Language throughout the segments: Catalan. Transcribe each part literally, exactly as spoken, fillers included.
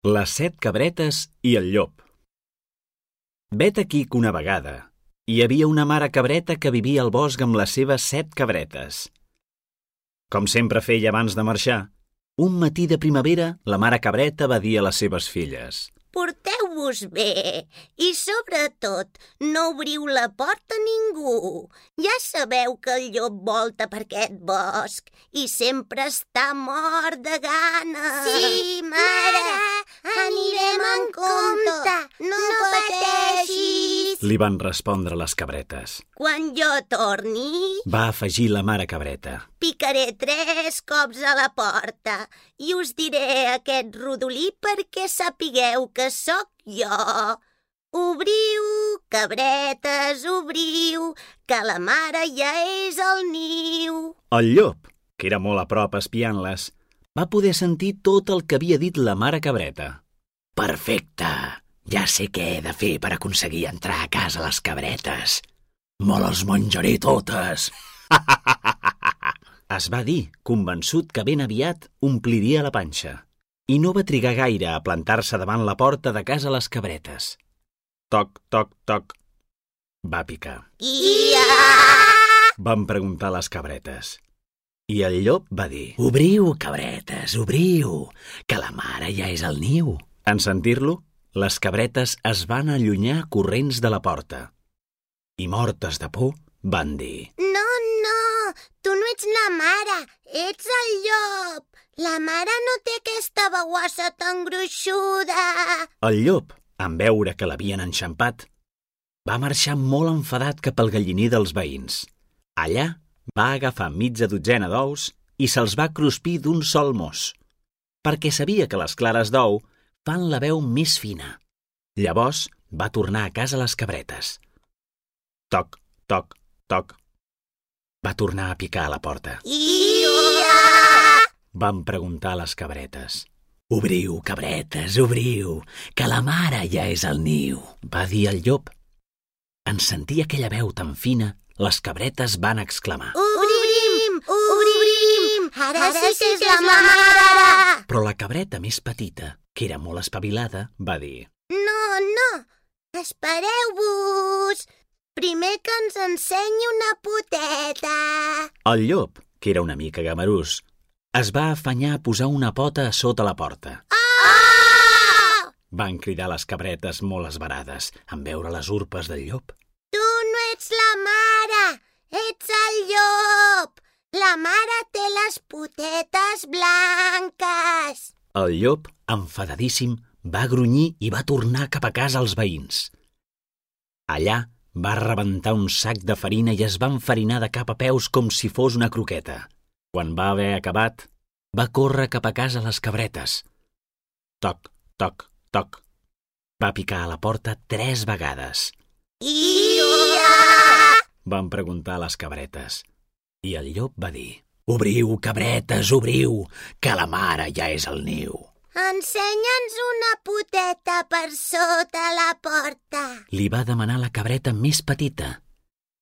Les set cabretes i el llop. Vet aquí que una vegada hi havia una mare cabreta que vivia al bosc amb les seves set cabretes. Com sempre feia abans de marxar, un matí de primavera la mare cabreta va dir a les seves filles: «Porteu-vos bé i, sobretot, no obriu la porta a ningú. Ja sabeu que el llop volta per aquest bosc i sempre està mort de gana». «Sí, mare, anirem en compte, no pateixis», li van respondre les cabretes. «Quan jo torni», va afegir la mare cabreta, «picaré tres cops a la porta i us diré aquest rodolí perquè sapigueu que sóc jo. Obriu, cabretes, obriu, que la mare ja és al niu». El llop, que era molt a prop espiant-les, va poder sentir tot el que havia dit la mare cabreta. «Perfecte! Ja sé què he de fer per aconseguir entrar a casa les cabretes. Me les menjaré totes!» Es va dir, convençut que ben aviat ompliria la panxa, i no va trigar gaire a plantar-se davant la porta de casa les cabretes. Toc, toc, toc. Va picar. «Ia!», van preguntar les cabretes. I el llop va dir: «Obriu, cabretes, obriu, que la mare ja és al niu». En sentir-lo, les cabretes es van allunyar corrents de la porta i, mortes de por, van dir: «No, no, tu no ets la mare, ets el llop. La mare no té aquesta baguassa tan gruixuda». El llop, en veure que l'havien enxampat, va marxar molt enfadat cap al galliner dels veïns. Allà va agafar mitja dotzena d'ous i se'ls va cruspir d'un sol mos, perquè sabia que les clares d'ou fan la veu més fina. Llavors va tornar a casa les cabretes. Toc, toc, toc. Va tornar a picar a la porta. «Ia!», van preguntar les cabretes. «Obriu, cabretes, obriu, que la mare ja és al niu», va dir el llop. En sentir aquella veu tan fina, les cabretes van exclamar: «Obrim, obrim, ara sí que és la mare». Però la cabreta més petita, que era molt espavilada, va dir: «No, no, espereu-vos. Primer que ens ensenyi una poteta». El llop, que era una mica gamarús, es va afanyar a posar una pota a sota la porta. «Ah!», van cridar les cabretes molt esverades en veure les urpes del llop. «Tu no ets la mare, ets el llop. La mare té les potetes blanques». El llop, enfadadíssim, va grunyir i va tornar cap a casa als veïns. Allà va rebentar un sac de farina i es va enfarinar de cap a peus com si fos una croqueta. Quan va haver acabat, va córrer cap a casa les cabretes. Toc, toc, toc. Va picar a la porta tres vegades. «Ia!», van preguntar les cabretes. I el llop va dir: «Obriu, cabretes, obriu, que la mare ja és al niu». «Ensenya'ns una poteta per sota la porta». Li va demanar la cabreta més petita,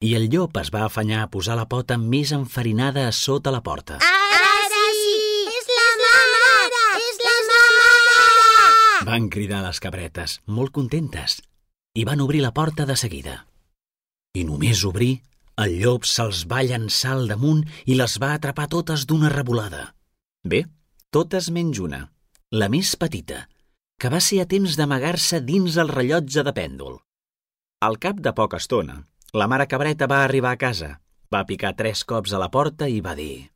i el llop es va afanyar a posar la pota més enfarinada a sota la porta. «Ara sí! És la mare! És la mare!», van cridar les cabretes, molt contentes, i van obrir la porta de seguida. I només obrir, el llop se'ls va llançar al damunt i les va atrapar totes d'una revolada. Bé, totes menys una, la més petita, que va ser a temps d'amagar-se dins el rellotge de pèndol. Al cap de poca estona, la mare cabreta va arribar a casa, va picar tres cops a la porta i va dir: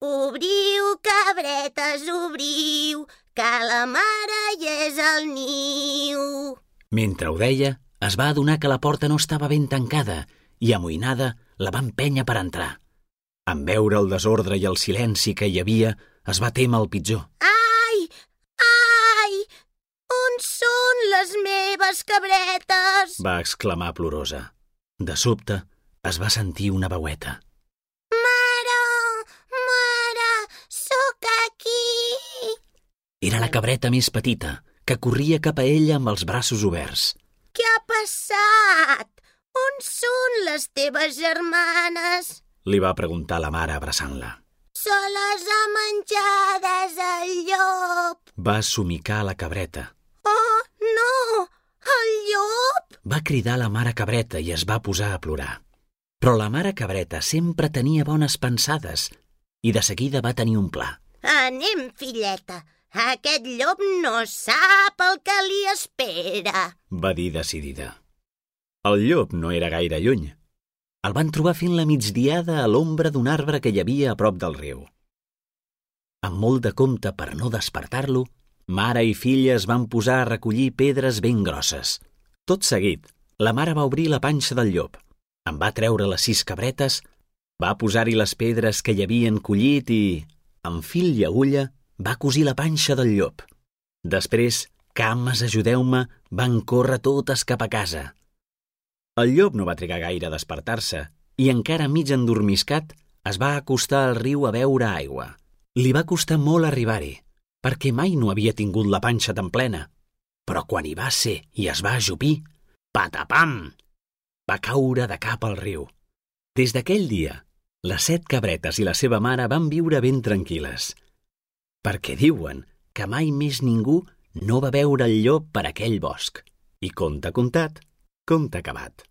«Obriu, cabretes, obriu, que la mare ja és al niu». Mentre ho deia, es va adonar que la porta no estava ben tancada i, amoïnada, la va empènyer per entrar. En veure el desordre i el silenci que hi havia, es va témer el pitjor. «Ai! Ai! On són les meves cabretes?», va exclamar plorosa. De sobte, es va sentir una veueta. «Mare, mare, sóc aquí». Era la cabreta més petita, que corria cap a ella amb els braços oberts. «Què ha passat? On són les teves germanes?», li va preguntar la mare abraçant-la. «Se les ha menjades el llop». va somicar la cabreta. Oh, no! El llop! Va cridar la mare cabreta i es va posar a plorar. Però la mare cabreta sempre tenia bones pensades i de seguida va tenir un pla. Anem, filleta. Aquest llop no sap el que li espera, va dir decidida. El llop no era gaire lluny. El van trobar fent la migdiada a l'ombra d'un arbre que hi havia a prop del riu. Amb molt de compte per no despertar-lo, mare i filla es van posar a recollir pedres ben grosses. Tot seguit, la mare va obrir la panxa del llop, en va treure les sis cabretes, va posar-hi les pedres que hi havien collit i, amb fil i agulla, va cosir la panxa del llop. Després, cames, ajudeu-me, van córrer totes cap a casa. El llop no va trigar gaire a despertar-se i, encara mig endormiscat, es va acostar al riu a beure aigua. Li va costar molt arribar-hi, perquè mai no havia tingut la panxa tan plena. Però quan hi va ser i es va ajupir, patapam! Va caure de cap al riu. Des d'aquell dia, les set cabretes i la seva mare van viure ben tranquil·les, perquè diuen que mai més ningú no va veure el llop per aquell bosc. I conte contat, conte acabat.